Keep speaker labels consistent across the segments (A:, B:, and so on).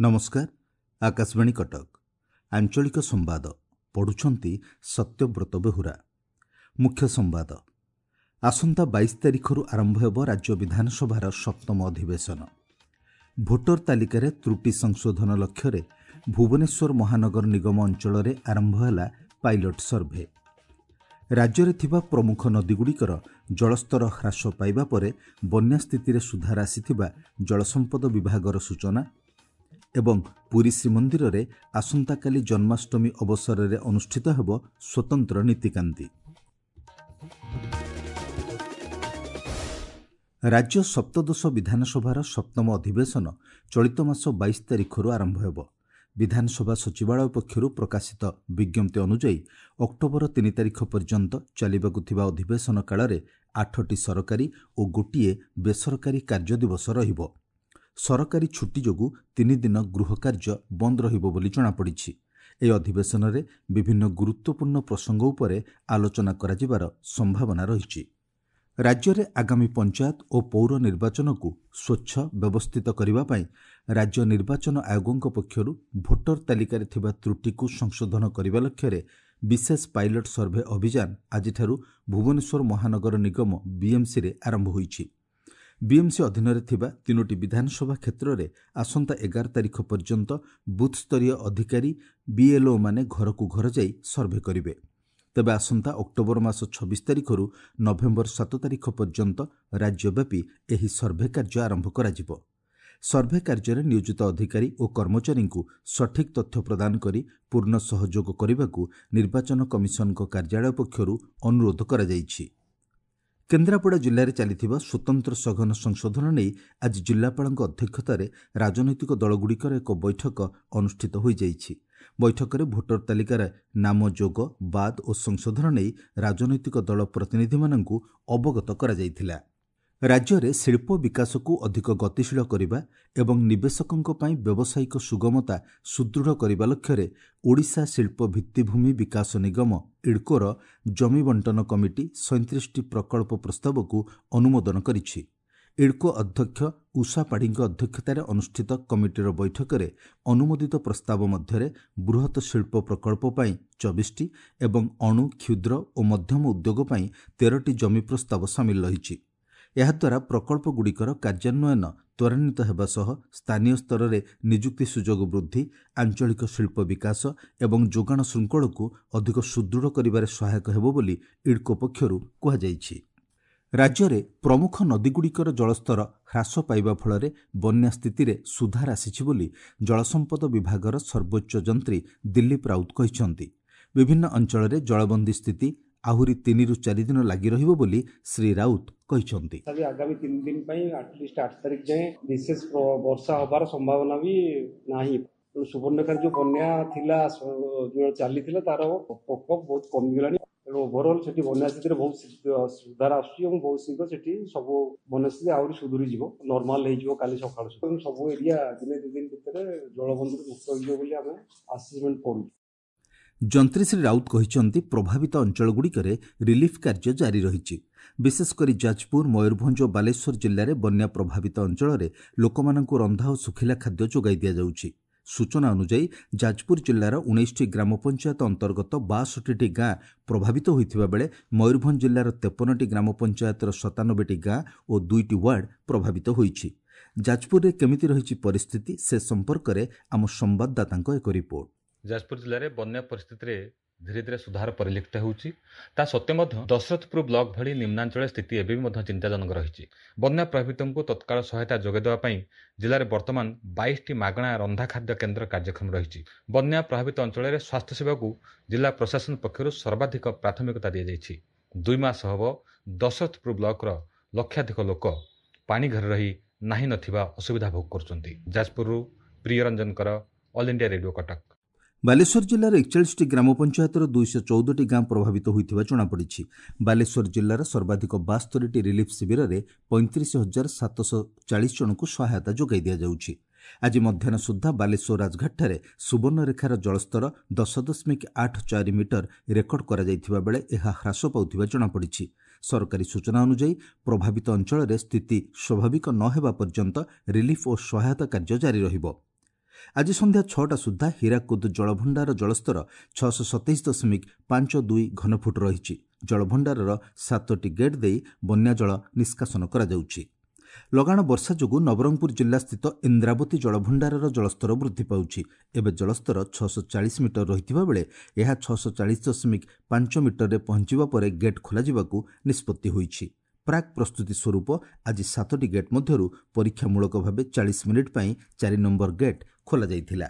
A: ନମସ୍କାର, ଆକାଶବାଣୀ କଟକ, ଆଞ୍ଚଳିକ ସମ୍ବାଦ ପଢ଼ୁଛନ୍ତି ସତ୍ୟବ୍ରତ ବେହୁରା। ମୁଖ୍ୟ ସମ୍ବାଦ। ଆସନ୍ତା 22 ତାରିଖରୁ ଆରମ୍ଭ ହେବ ରାଜ୍ୟ ବିଧାନସଭାର ସପ୍ତମ ଅଧିବେଶନ। ଭୋଟର ତାଲିକାରେ ତ୍ରୁଟି ସଂଶୋଧନ ଲକ୍ଷ୍ୟରେ ଭୁବନେଶ୍ୱର ମହାନଗର ନିଗମ ଅଞ୍ଚଳରେ ଆରମ୍ଭ ହେଲା ପାଇଲଟ ସର୍ଭେ। ରାଜ୍ୟରେ ଥିବା ପ୍ରମୁଖ ନଦୀଗୁଡ଼ିକର ଜଳସ୍ତର ହ୍ରାସ ପାଇବା ପରେ ବନ୍ୟା ସ୍ଥିତିରେ ସୁଧାର ଆସିଥିବା ଜଳସମ୍ପଦ ବିଭାଗର ସୂଚନା। ଏବଂ ପୁରୀ ଶ୍ରୀମନ୍ଦିରରେ ଆସନ୍ତାକାଲି ଜନ୍ମାଷ୍ଟମୀ ଅବସରରେ ଅନୁଷ୍ଠିତ ହେବ ସ୍ୱତନ୍ତ୍ର ନୀତିକାନ୍ତି। ରାଜ୍ୟ ସପ୍ତଦଶ ବିଧାନସଭାର ସପ୍ତମ ଅଧିବେଶନ ଚଳିତ ମାସ 22 ତାରିଖରୁ ଆରମ୍ଭ ହେବ। ବିଧାନସଭା ସଚିବାଳୟ ପକ୍ଷରୁ ପ୍ରକାଶିତ ବିଜ୍ଞପ୍ତି ଅନୁଯାୟୀ ଅକ୍ଟୋବର 3 ତାରିଖ ପର୍ଯ୍ୟନ୍ତ ଚାଲିବାକୁ ଥିବା ଅଧିବେଶନ କାଳରେ 8ଟି ସରକାରୀ ଓ ଗୋଟିଏ ବେସରକାରୀ କାର୍ଯ୍ୟଦିବସ ରହିବ। ସରକାରୀ ଛୁଟି ଯୋଗୁଁ 3 ଦିନ ଗୃହ କାର୍ଯ୍ୟ ବନ୍ଦ ରହିବ ବୋଲି ଜଣାପଡ଼ିଛି। ଏହି ଅଧିବେଶନରେ ବିଭିନ୍ନ ଗୁରୁତ୍ୱପୂର୍ଣ୍ଣ ପ୍ରସଙ୍ଗ ଉପରେ ଆଲୋଚନା କରାଯିବାର ସମ୍ଭାବନା ରହିଛି। ରାଜ୍ୟରେ ଆଗାମୀ ପଞ୍ଚାୟତ ଓ ପୌର ନିର୍ବାଚନକୁ ସ୍ୱଚ୍ଛ, ବ୍ୟବସ୍ଥିତ କରିବା ପାଇଁ ରାଜ୍ୟ ନିର୍ବାଚନ ଆୟୋଗଙ୍କ ପକ୍ଷରୁ ଭୋଟର ତାଲିକାରେ ଥିବା ତ୍ରୁଟିକୁ ସଂଶୋଧନ କରିବା ଲକ୍ଷ୍ୟରେ ବିଶେଷ ପାଇଲଟ ସର୍ଭେ ଅଭିଯାନ ଆଜିଠାରୁ ଭୁବନେଶ୍ୱର ମହାନଗର ନିଗମ ବିଏମ୍ସିରେ ଆରମ୍ଭ ହୋଇଛି। ବିଏମ୍ସି ଅଧୀନରେ ଥିବା 3ଟି ବିଧାନସଭା କ୍ଷେତ୍ରରେ ଆସନ୍ତା 11 ତାରିଖ ପର୍ଯ୍ୟନ୍ତ ବୁଥ୍ସ୍ତରୀୟ ଅଧିକାରୀ ବିଏଲ୍ଓମାନେ ଘରକୁ ଘର ଯାଇ ସର୍ଭେ କରିବେ। ତେବେ ଆସନ୍ତା ଅକ୍ଟୋବର ମାସ 26 ତାରିଖରୁ ନଭେମ୍ବର 7 ତାରିଖ ପର୍ଯ୍ୟନ୍ତ ରାଜ୍ୟବ୍ୟାପୀ ଏହି ସର୍ଭେ କାର୍ଯ୍ୟ ଆରମ୍ଭ କରାଯିବ। ସର୍ଭେ କାର୍ଯ୍ୟରେ ନିୟୋଜିତ ଅଧିକାରୀ ଓ କର୍ମଚାରୀଙ୍କୁ ସଠିକ୍ ତଥ୍ୟ ପ୍ରଦାନ କରି ପୂର୍ଣ୍ଣ ସହଯୋଗ କରିବାକୁ ନିର୍ବାଚନ କମିଶନଙ୍କ କାର୍ଯ୍ୟାଳୟ ପକ୍ଷରୁ ଅନୁରୋଧ କରାଯାଇଛି। କେନ୍ଦ୍ରାପଡ଼ା ଜିଲ୍ଲାରେ ଚାଲିଥିବା ସ୍ୱତନ୍ତ୍ର ସଘନ ସଂଶୋଧନ ନେଇ ଆଜି ଜିଲ୍ଲାପାଳଙ୍କ ଅଧ୍ୟକ୍ଷତାରେ ରାଜନୈତିକ ଦଳଗୁଡ଼ିକର ଏକ ବୈଠକ ଅନୁଷ୍ଠିତ ହୋଇଯାଇଛି। ବୈଠକରେ ଭୋଟର ତାଲିକାରେ ନାମ ଯୋଗ, ବାଦ୍ ଓ ସଂଶୋଧନ ନେଇ ରାଜନୈତିକ ଦଳ ପ୍ରତିନିଧିମାନଙ୍କୁ ଅବଗତ କରାଯାଇଥିଲା। ରାଜ୍ୟରେ ଶିଳ୍ପ ବିକାଶକୁ ଅଧିକ ଗତିଶୀଳ କରିବା ଏବଂ ନିବେଶକଙ୍କ ପାଇଁ ବ୍ୟବସାୟିକ ସୁଗମତା ସୁଦୃଢ଼ କରିବା ଲକ୍ଷ୍ୟରେ ଓଡ଼ିଶା ଶିଳ୍ପ ଭିତ୍ତିଭୂମି ବିକାଶ ନିଗମ ଇଡ୍କୋର ଜମି ବଣ୍ଟନ କମିଟି 37ଟି ପ୍ରକଳ୍ପ ପ୍ରସ୍ତାବକୁ ଅନୁମୋଦନ କରିଛି। ଇଡ୍କୋ ଅଧ୍ୟକ୍ଷ ଉଷା ପାଢ଼ୀଙ୍କ ଅଧ୍ୟକ୍ଷତାରେ ଅନୁଷ୍ଠିତ କମିଟିର ବୈଠକରେ ଅନୁମୋଦିତ ପ୍ରସ୍ତାବ ମଧ୍ୟରେ ବୃହତ ଶିଳ୍ପ ପ୍ରକଳ୍ପ ପାଇଁ 24ଟି ଏବଂ ଅଣୁ, କ୍ଷୁଦ୍ର ଓ ମଧ୍ୟମ ଉଦ୍ୟୋଗ ପାଇଁ 13ଟି ଜମି ପ୍ରସ୍ତାବ ସାମିଲ ରହିଛି। ଏହାଦ୍ୱାରା ପ୍ରକଳ୍ପଗୁଡ଼ିକର କାର୍ଯ୍ୟାନ୍ୱୟନ ତ୍ୱରାନ୍ୱିତ ହେବା ସହ ସ୍ଥାନୀୟ ସ୍ତରରେ ନିଯୁକ୍ତି ସୁଯୋଗ ବୃଦ୍ଧି, ଆଞ୍ଚଳିକ ଶିଳ୍ପ ବିକାଶ ଏବଂ ଯୋଗାଣ ଶୃଙ୍ଖଳକୁ ଅଧିକ ସୁଦୃଢ଼ କରିବାରେ ସହାୟକ ହେବ ବୋଲି ଇଡ୍କୋ ପକ୍ଷରୁ କୁହାଯାଇଛି। ରାଜ୍ୟରେ ପ୍ରମୁଖ ନଦୀଗୁଡ଼ିକର ଜଳସ୍ତର ହ୍ରାସ ପାଇବା ଫଳରେ ବନ୍ୟା ସ୍ଥିତିରେ ସୁଧାର ଆସିଛି ବୋଲି ଜଳସମ୍ପଦ ବିଭାଗର ସର୍ବୋଚ୍ଚ ଯନ୍ତ୍ରୀ ଦିଲ୍ଲୀପ ରାଉତ କହିଛନ୍ତି। ବିଭିନ୍ନ ଅଞ୍ଚଳରେ ଜଳବନ୍ଦୀ ସ୍ଥିତି ଆହୁରି 3ରୁ 4 ଦିନ ଲାଗି ରହିବ ବୋଲି ଶ୍ରୀ ରାଉତ କହିଛନ୍ତି।
B: ଆଗାମୀ 3 ଦିନ ପାଇଁ ଆଟଲିଷ୍ଟ 8 ତାରିଖ ଯାଏଁ ବିଶେଷ ବର୍ଷା ହବାର ସମ୍ଭାବନା ବି ନାହିଁ। ତେଣୁ ସୁବର୍ଣ୍ଣରେଖାରେ ଯୋଉ ବନ୍ୟା ଥିଲା, ଯୋଉ ଚାଲିଥିଲା, ତାର ପ୍ରକୋପ ବହୁତ କମିଗଲାଣି। ତେଣୁ ଓଭରଅଲ୍ ସେଠି ବନ୍ୟା ସ୍ଥିତିରେ ବହୁତ ସୁଧାର ଆସୁଛି ଏବଂ ବହୁତ ଶୀଘ୍ର ସେଠି ସବୁ ବନ୍ୟା ସ୍ଥିତି ଆହୁରି ସୁଧୁରିଯିବ, ନର୍ମାଲ ହେଇଯିବ କାଲି ସକାଳୁ ସୁଦ୍ଧା। ଏବଂ ସବୁ ଏରିଆ ଦିନେ 2 ଦିନ ଭିତରେ ଜଳବନ୍ଦୀରୁ ମୁକ୍ତ ହେଇଯିବ ବୋଲି ଆମେ ଆସେସମେଣ୍ଟ କରୁଛୁ।
A: ଯନ୍ତ୍ରୀ ଶ୍ରୀ ରାଉତ କହିଛନ୍ତି, ପ୍ରଭାବିତ ଅଞ୍ଚଳଗୁଡ଼ିକରେ ରିଲିଫ୍ କାର୍ଯ୍ୟ ଜାରି ରହିଛି। ବିଶେଷ କରି ଯାଜପୁର, ମୟୂରଭଞ୍ଜ ଓ ବାଲେଶ୍ୱର ଜିଲ୍ଲାରେ ବନ୍ୟା ପ୍ରଭାବିତ ଅଞ୍ଚଳରେ ଲୋକମାନଙ୍କୁ ରନ୍ଧା ଓ ଶୁଖିଲା ଖାଦ୍ୟ ଯୋଗାଇ ଦିଆଯାଉଛି। ସୂଚନା ଅନୁଯାୟୀ ଯାଜପୁର ଜିଲ୍ଲାର 19ଟି ଗ୍ରାମ ପଞ୍ଚାୟତ ଅନ୍ତର୍ଗତ 62ଟି ଗାଁ ପ୍ରଭାବିତ ହୋଇଥିବା ବେଳେ ମୟୂରଭଞ୍ଜ ଜିଲ୍ଲାର 53ଟି ଗ୍ରାମ ପଞ୍ଚାୟତର 97ଟି ଗାଁ ଓ 2ଟି ୱାର୍ଡ ପ୍ରଭାବିତ ହୋଇଛି। ଯାଜପୁରରେ କେମିତି ରହିଛି ପରିସ୍ଥିତି ସେ ସମ୍ପର୍କରେ ଆମ ସମ୍ବାଦଦାତାଙ୍କ ଏକ ରିପୋର୍ଟ।
C: ଯାଜପୁର ଜିଲ୍ଲାରେ ବନ୍ୟା ପରିସ୍ଥିତିରେ ଧୀରେ ଧୀରେ ସୁଧାର ପରିଲକ୍ଷିତ ହେଉଛି। ତା ସତ୍ତ୍ୱେ ମଧ୍ୟ ଦଶରଥପୁର ବ୍ଲକ ଭଳି ନିମ୍ନାଞ୍ଚଳରେ ସ୍ଥିତି ଏବେ ବି ମଧ୍ୟ ଚିନ୍ତାଜନକ ରହିଛି। ବନ୍ୟା ପ୍ରଭାବିତଙ୍କୁ ତତ୍କାଳ ସହାୟତା ଯୋଗାଇ ଦେବା ପାଇଁ ଜିଲ୍ଲାରେ ବର୍ତ୍ତମାନ 22ଟି ମାଗଣା ରନ୍ଧା ଖାଦ୍ୟ କେନ୍ଦ୍ର କାର୍ଯ୍ୟକ୍ଷମ ରହିଛି। ବନ୍ୟା ପ୍ରଭାବିତ ଅଞ୍ଚଳରେ ସ୍ୱାସ୍ଥ୍ୟସେବାକୁ ଜିଲ୍ଲା ପ୍ରଶାସନ ପକ୍ଷରୁ ସର୍ବାଧିକ ପ୍ରାଥମିକତା ଦିଆଯାଇଛି। 2 ମାସ ହେବ ଦଶରଥପୁର ବ୍ଲକର ଲକ୍ଷାଧିକ ଲୋକ ପାଣି ଘରେ ରହି ନାହିଁ ନଥିବା ଅସୁବିଧା ଭୋଗ କରୁଛନ୍ତି। ଯାଜପୁରରୁ Priyaranjan Kar, all India radio, Cuttack.
A: Baleswar ଜିଲ୍ଲାର 41ଟି ଗ୍ରାମ ପଞ୍ଚାୟତର 214ଟି ଗାଁ ପ୍ରଭାବିତ ହୋଇଥିବା ଜଣାପଡ଼ିଛି। ବାଲେଶ୍ୱର ଜିଲ୍ଲାର ସର୍ବାଧିକ 72ଟି ରିଲିଫ୍ ଶିବିରରେ 35,740 ଜଣଙ୍କୁ ସହାୟତା ଯୋଗାଇ ଦିଆଯାଉଛି। ଆଜି ମଧ୍ୟାହ୍ନ ସୁଦ୍ଧା ବାଲେଶ୍ୱର ରାଜଘାଟଠାରେ ସୁବର୍ଣ୍ଣରେଖାର ଜଳସ୍ତର 10.84 ମିଟର ରେକର୍ଡ କରାଯାଇଥିବା ବେଳେ ଏହା ହ୍ରାସ ପାଉଥିବା ଜଣାପଡ଼ିଛି। ସରକାରୀ ସୂଚନା ଅନୁଯାୟୀ ପ୍ରଭାବିତ ଅଞ୍ଚଳରେ ସ୍ଥିତି ସ୍ୱାଭାବିକ ନ ହେବା ପର୍ଯ୍ୟନ୍ତ ରିଲିଫ୍ ଓ ସହାୟତା କାର୍ଯ୍ୟ ଜାରି ରହିବ। ଆଜି ସନ୍ଧ୍ୟା 6ଟା ସୁଦ୍ଧା ହୀରାକୁଦ ଜଳଭଣ୍ଡାର ଜଳସ୍ତର 627.52 ଘନଫୁଟ ରହିଛି। ଜଳଭଣ୍ଡାରର 7ଟି ଗେଟ୍ ଦେଇ ବନ୍ୟାଜଳ ନିଷ୍କାସନ କରାଯାଉଛି। ଲଗାଣ ବର୍ଷା ଯୋଗୁଁ ନବରଙ୍ଗପୁର ଜିଲ୍ଲାସ୍ଥିତ ଇନ୍ଦ୍ରାବତୀ ଜଳଭଣ୍ଡାରର ଜଳସ୍ତର ବୃଦ୍ଧି ପାଉଛି। ଏବେ ଜଳସ୍ତର 640 ମିଟର ରହିଥିବା ବେଳେ ଏହା 640.5 ମିଟରରେ ପହଞ୍ଚିବା ପରେ ଗେଟ୍ ଖୋଲାଯିବାକୁ ନିଷ୍ପତ୍ତି ହୋଇଛି। ପ୍ରାକ୍ ପ୍ରସ୍ତୁତି ସ୍ୱରୂପ ଆଜି 7ଟି ଗେଟ୍ ମଧ୍ୟରୁ ପରୀକ୍ଷାମୂଳକ ଭାବେ 40 ମିନିଟ୍ ପାଇଁ 4 ନମ୍ବର ଗେଟ୍ ଖୋଲାଯାଇଥିଲା।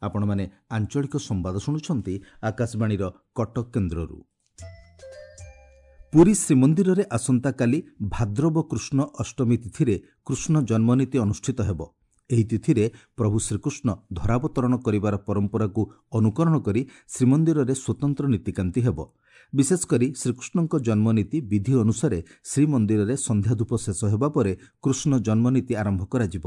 A: ଆପଣମାନେ ଆଞ୍ଚଳିକ ସମ୍ବାଦ ଶୁଣୁଛନ୍ତି ଆକାଶବାଣୀର କଟକ କେନ୍ଦ୍ରରୁ। ପୁରୀ ଶ୍ରୀମନ୍ଦିରରେ ଆସନ୍ତାକାଲି ଭାଦ୍ରବ କୃଷ୍ଣ ଅଷ୍ଟମୀ ତିଥିରେ କୃଷ୍ଣ ଜନ୍ମନୀତି ଅନୁଷ୍ଠିତ ହେବ। ଏହି ତିଥିରେ ପ୍ରଭୁ ଶ୍ରୀକୃଷ୍ଣ ଧରାବତରଣ କରିବାର ପରମ୍ପରାକୁ ଅନୁକରଣ କରି ଶ୍ରୀମନ୍ଦିରରେ ସ୍ୱତନ୍ତ୍ର ନୀତିକାନ୍ତି ହେବ। ବିଶେଷ କରି ଶ୍ରୀକୃଷ୍ଣଙ୍କ ଜନ୍ମନୀତି ବିଧି ଅନୁସାରେ ଶ୍ରୀମନ୍ଦିରରେ ସନ୍ଧ୍ୟାଧୂପ ଶେଷ ହେବା ପରେ କୃଷ୍ଣ ଜନ୍ମନୀତି ଆରମ୍ଭ କରାଯିବ।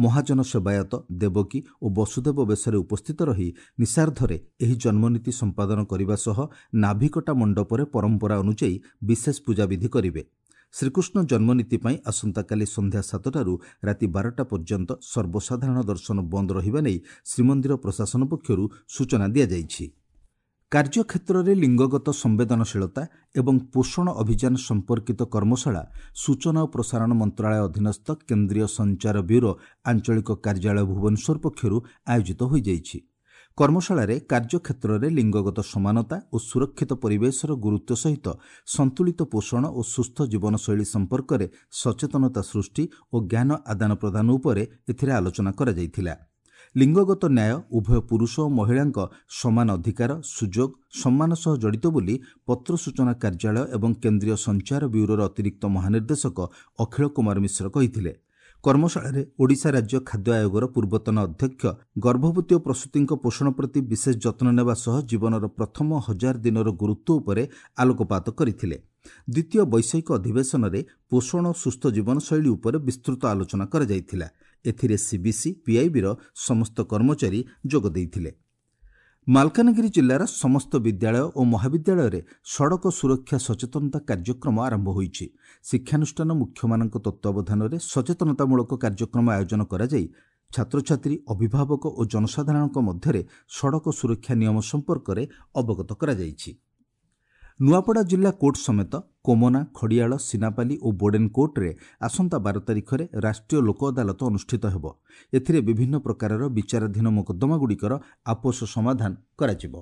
A: ମହାଜନ ସେବାୟତ ଦେବକୀ ଓ ବସୁଦେବ ବେଶରେ ଉପସ୍ଥିତ ରହି ନିଶାର୍ଦ୍ଧରେ ଏହି ଜନ୍ମନୀତି ସମ୍ପାଦନ କରିବା ସହ ନାଭିକଟା ମଣ୍ଡପରେ ପରମ୍ପରା ଅନୁଯାୟୀ ବିଶେଷ ପୂଜାବିଧି କରିବେ। ଶ୍ରୀକୃଷ୍ଣ ଜନ୍ମନୀତି ପାଇଁ ଆସନ୍ତାକାଲି ସନ୍ଧ୍ୟା 7ଟାରୁ ରାତି 12ଟା ପର୍ଯ୍ୟନ୍ତ ସର୍ବସାଧାରଣ ଦର୍ଶନ ବନ୍ଦ ରହିବା ନେଇ ଶ୍ରୀମନ୍ଦିର ପ୍ରଶାସନ ପକ୍ଷରୁ ସୂଚନା ଦିଆଯାଇଛି। କାର୍ଯ୍ୟକ୍ଷେତ୍ରରେ ଲିଙ୍ଗଗତ ସମ୍ବେଦନଶୀଳତା ଏବଂ ପୋଷଣ ଅଭିଯାନ ସମ୍ପର୍କିତ କର୍ମଶାଳା ସୂଚନା ଓ ପ୍ରସାରଣ ମନ୍ତ୍ରଣାଳୟ ଅଧୀନସ୍ଥ କେନ୍ଦ୍ରୀୟ ସଞ୍ଚାର ବ୍ୟୁରୋ ଆଞ୍ଚଳିକ କାର୍ଯ୍ୟାଳୟ ଭୁବନେଶ୍ୱର ପକ୍ଷରୁ ଆୟୋଜିତ ହୋଇଯାଇଛି। କର୍ମଶାଳାରେ କାର୍ଯ୍ୟକ୍ଷେତ୍ରରେ ଲିଙ୍ଗଗତ ସମାନତା ଓ ସୁରକ୍ଷିତ ପରିବେଶର ଗୁରୁତ୍ୱ ସହିତ ସନ୍ତୁଳିତ ପୋଷଣ ଓ ସୁସ୍ଥ ଜୀବନଶୈଳୀ ସମ୍ପର୍କରେ ସଚେତନତା ସୃଷ୍ଟି ଓ ଜ୍ଞାନ ଆଦାନ ପ୍ରଦାନ ଉପରେ ଏଥିରେ ଆଲୋଚନା କରାଯାଇଥିଲା। ଲିଙ୍ଗଗତ ନ୍ୟାୟ ଉଭୟ ପୁରୁଷ ଓ ମହିଳାଙ୍କ ସମାନ ଅଧିକାର, ସୁଯୋଗ, ସମ୍ମାନ ସହ ଜଡ଼ିତ ବୋଲି ପତ୍ର ସୂଚନା କାର୍ଯ୍ୟାଳୟ ଏବଂ କେନ୍ଦ୍ରୀୟ ସଞ୍ଚାର ବ୍ୟୁରୋର ଅତିରିକ୍ତ ମହାନିର୍ଦ୍ଦେଶକ ଅଖିଳ କୁମାର ମିଶ୍ର କହିଥିଲେ। କର୍ମଶାଳାରେ ଓଡ଼ିଶା ରାଜ୍ୟ ଖାଦ୍ୟ ଆୟୋଗର ପୂର୍ବତନ ଅଧ୍ୟକ୍ଷ ଗର୍ଭବତୀ ଓ ପ୍ରସୂତିଙ୍କ ପୋଷଣ ପ୍ରତି ବିଶେଷ ଯତ୍ନ ନେବା ସହ ଜୀବନର ପ୍ରଥମ 1000 ଦିନର ଗୁରୁତ୍ୱ ଉପରେ ଆଲୋକପାତ କରିଥିଲେ। ଦ୍ୱିତୀୟ ବୈଷୟିକ ଅଧିବେଶନରେ ପୋଷଣ ଓ ସୁସ୍ଥ ଜୀବନଶୈଳୀ ଉପରେ ବିସ୍ତୃତ ଆଲୋଚନା କରାଯାଇଥିଲା। ଏଥିରେ ସିବିସି, ପିଆଇବିର ସମସ୍ତ କର୍ମଚାରୀ ଯୋଗ ଦେଇଥିଲେ। ମାଲକାନଗିରି ଜିଲ୍ଲାର ସମସ୍ତ ବିଦ୍ୟାଳୟ ଓ ମହାବିଦ୍ୟାଳୟରେ ସଡ଼କ ସୁରକ୍ଷା ସଚେତନତା କାର୍ଯ୍ୟକ୍ରମ ଆରମ୍ଭ ହୋଇଛି। ଶିକ୍ଷାନୁଷ୍ଠାନ ମୁଖ୍ୟମାନଙ୍କ ତତ୍ତ୍ୱାବଧାନରେ ସଚେତନତାମୂଳକ କାର୍ଯ୍ୟକ୍ରମ ଆୟୋଜନ କରାଯାଇ ଛାତ୍ରଛାତ୍ରୀ, ଅଭିଭାବକ ଓ ଜନସାଧାରଣଙ୍କ ମଧ୍ୟରେ ସଡ଼କ ସୁରକ୍ଷା ନିୟମ ସମ୍ପର୍କରେ ଅବଗତ କରାଯାଇଛି। ନୂଆପଡ଼ା ଜିଲ୍ଲା କୋର୍ଟ ସମେତ କୋମନା, ଖଡ଼ିଆଳ, ସିନାପାଲି ଓ ବୋଡେନ୍ କୋର୍ଟରେ ଆସନ୍ତା 12 ତାରିଖରେ ରାଷ୍ଟ୍ରୀୟ ଲୋକ ଅଦାଲତ ଅନୁଷ୍ଠିତ ହେବ। ଏଥିରେ ବିଭିନ୍ନ ପ୍ରକାରର ବିଚାରାଧୀନ ମୋକଦ୍ଦମାଗୁଡ଼ିକର ଆପୋଷ ସମାଧାନ କରାଯିବ।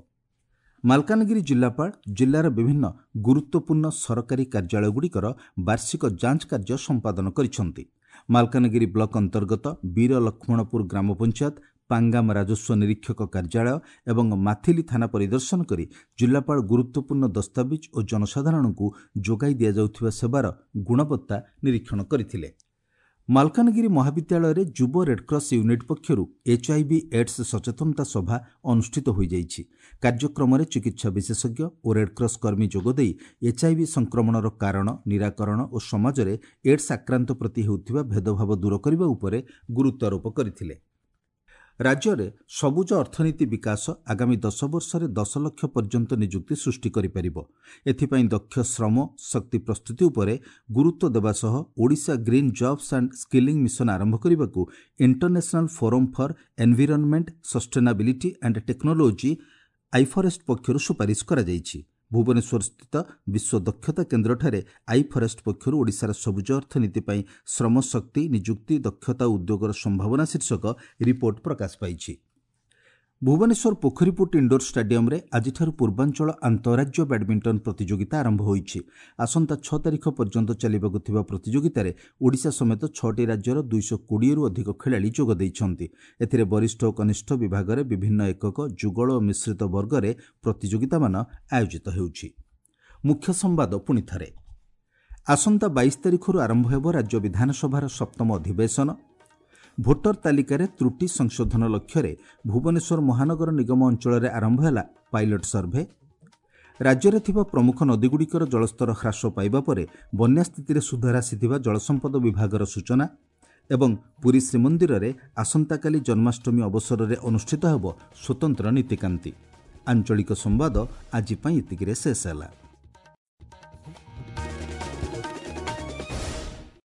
A: ମାଲକାନଗିରି ଜିଲ୍ଲାପାଳ ଜିଲ୍ଲାର ବିଭିନ୍ନ ଗୁରୁତ୍ୱପୂର୍ଣ୍ଣ ସରକାରୀ କାର୍ଯ୍ୟାଳୟଗୁଡ଼ିକର ବାର୍ଷିକ ଯାଞ୍ଚ କାର୍ଯ୍ୟ ସମ୍ପାଦନ କରିଛନ୍ତି। ମାଲକାନଗିରି ବ୍ଲକ ଅନ୍ତର୍ଗତ ବୀର ଲକ୍ଷ୍ମଣପୁର ଗ୍ରାମ ପଞ୍ଚାୟତ, ପାଙ୍ଗାମ ରାଜସ୍ୱ ନିରୀକ୍ଷକ କାର୍ଯ୍ୟାଳୟ ଏବଂ ମାଥିଲି ଥାନା ପରିଦର୍ଶନ କରି ଜିଲ୍ଲାପାଳ ଗୁରୁତ୍ୱପୂର୍ଣ୍ଣ ଦସ୍ତାବିଜ ଓ ଜନସାଧାରଣଙ୍କୁ ଯୋଗାଇ ଦିଆଯାଉଥିବା ସେବାର ଗୁଣବତ୍ତା ନିରୀକ୍ଷଣ କରିଥିଲେ। ମାଲକାନଗିରି ମହାବିଦ୍ୟାଳୟରେ ଯୁବ ରେଡ୍କ୍ରସ୍ ୟୁନିଟ୍ ପକ୍ଷରୁ ଏଚ୍ଆଇଭି ଏଡ୍ସ ସଚେତନତା ସଭା ଅନୁଷ୍ଠିତ ହୋଇଯାଇଛି। କାର୍ଯ୍ୟକ୍ରମରେ ଚିକିତ୍ସା ବିଶେଷଜ୍ଞ ଓ ରେଡ୍କ୍ରସ୍ କର୍ମୀ ଯୋଗଦେଇ ଏଚ୍ଆଇଭି ସଂକ୍ରମଣର କାରଣ, ନିରାକରଣ ଓ ସମାଜରେ ଏଡ୍ସ ଆକ୍ରାନ୍ତ ପ୍ରତି ହେଉଥିବା ଭେଦଭାବ ଦୂର କରିବା ଉପରେ ଗୁରୁତ୍ୱାରୋପ କରିଥିଲେ। ରାଜ୍ୟରେ ସବୁଜ ଅର୍ଥନୀତି ବିକାଶ ଆଗାମୀ 10 ବର୍ଷରେ 10 ଲକ୍ଷ ପର୍ଯ୍ୟନ୍ତ ନିଯୁକ୍ତି ସୃଷ୍ଟି କରିପାରିବ। ଏଥିପାଇଁ ଦକ୍ଷ ଶ୍ରମ ଶକ୍ତି ପ୍ରସ୍ତୁତି ଉପରେ ଗୁରୁତ୍ୱ ଦେବା ସହ Odisha green jobs and skilling mission ଆରମ୍ଭ କରିବାକୁ international forum for environment, sustainability and technology iFOREST ପକ୍ଷରୁ ସୁପାରିଶ କରାଯାଇଛି। ଭୁବନେଶ୍ୱରସ୍ଥିତ ବିଶ୍ୱ ଦକ୍ଷତା କେନ୍ଦ୍ରଠାରେ ଆଇଫରେଷ୍ଟ ପକ୍ଷରୁ ଓଡ଼ିଶାର ସବୁଜ ଅର୍ଥନୀତି ପାଇଁ ଶ୍ରମଶକ୍ତି, ନିଯୁକ୍ତି, ଦକ୍ଷତା ଓ ଉଦ୍ୟୋଗର ସମ୍ଭାବନା ଶୀର୍ଷକ ରିପୋର୍ଟ ପ୍ରକାଶ ପାଇଛି। ଭୁବନେଶ୍ୱର ପୋଖରୀପୁଟ ଇଣ୍ଡୋର ଷ୍ଟାଡିୟମରେ ଆଜିଠାରୁ ପୂର୍ବାଞ୍ଚଳ ଆନ୍ତଃରାଜ୍ୟ ବ୍ୟାଡମିଣ୍ଟନ ପ୍ରତିଯୋଗିତା ଆରମ୍ଭ ହୋଇଛି। ଆସନ୍ତା 6 ତାରିଖ ପର୍ଯ୍ୟନ୍ତ ଚାଲିବାକୁ ଥିବା ପ୍ରତିଯୋଗିତାରେ ଓଡ଼ିଶା ସମେତ 6ଟି ରାଜ୍ୟର 220ରୁ ଅଧିକ ଖେଳାଳି ଯୋଗ ଦେଇଛନ୍ତି। ଏଥିରେ ବରିଷ୍ଠ ଓ କନିଷ୍ଠ ବିଭାଗରେ ବିଭିନ୍ନ ଏକକ, ଯୁଗଳ ଓ ମିଶ୍ରିତ ବର୍ଗରେ ପ୍ରତିଯୋଗିତାମାନ ଆୟୋଜିତ ହେଉଛି। ମୁଖ୍ୟ ସମ୍ବାଦ ପୁଣି ଥରେ। ଆସନ୍ତା 22 ତାରିଖରୁ ଆରମ୍ଭ ହେବ ରାଜ୍ୟ ବିଧାନସଭାର ସପ୍ତମ ଅଧିବେଶନ। ଭୋଟର ତାଲିକାରେ ତ୍ରୁଟି ସଂଶୋଧନ ଲକ୍ଷ୍ୟରେ ଭୁବନେଶ୍ୱର ମହାନଗର ନିଗମ ଅଞ୍ଚଳରେ ଆରମ୍ଭ ହେଲା ପାଇଲଟ ସର୍ଭେ। ରାଜ୍ୟରେ ଥିବା ପ୍ରମୁଖ ନଦୀଗୁଡ଼ିକର ଜଳସ୍ତର ହ୍ରାସ ପାଇବା ପରେ ବନ୍ୟା ସ୍ଥିତିରେ ସୁଧାର ଆସିଥିବା ଜଳସମ୍ପଦ ବିଭାଗର ସୂଚନା। ଏବଂ ପୁରୀ ଶ୍ରୀମନ୍ଦିରରେ ଆସନ୍ତାକାଲି ଜନ୍ମାଷ୍ଟମୀ ଅବସରରେ ଅନୁଷ୍ଠିତ ହେବ ସ୍ୱତନ୍ତ୍ର ନୀତିକାନ୍ତି। ଆଞ୍ଚଳିକ ସମ୍ବାଦ ଆଜି ପାଇଁ ଏତିକିରେ ଶେଷ ହେଲା।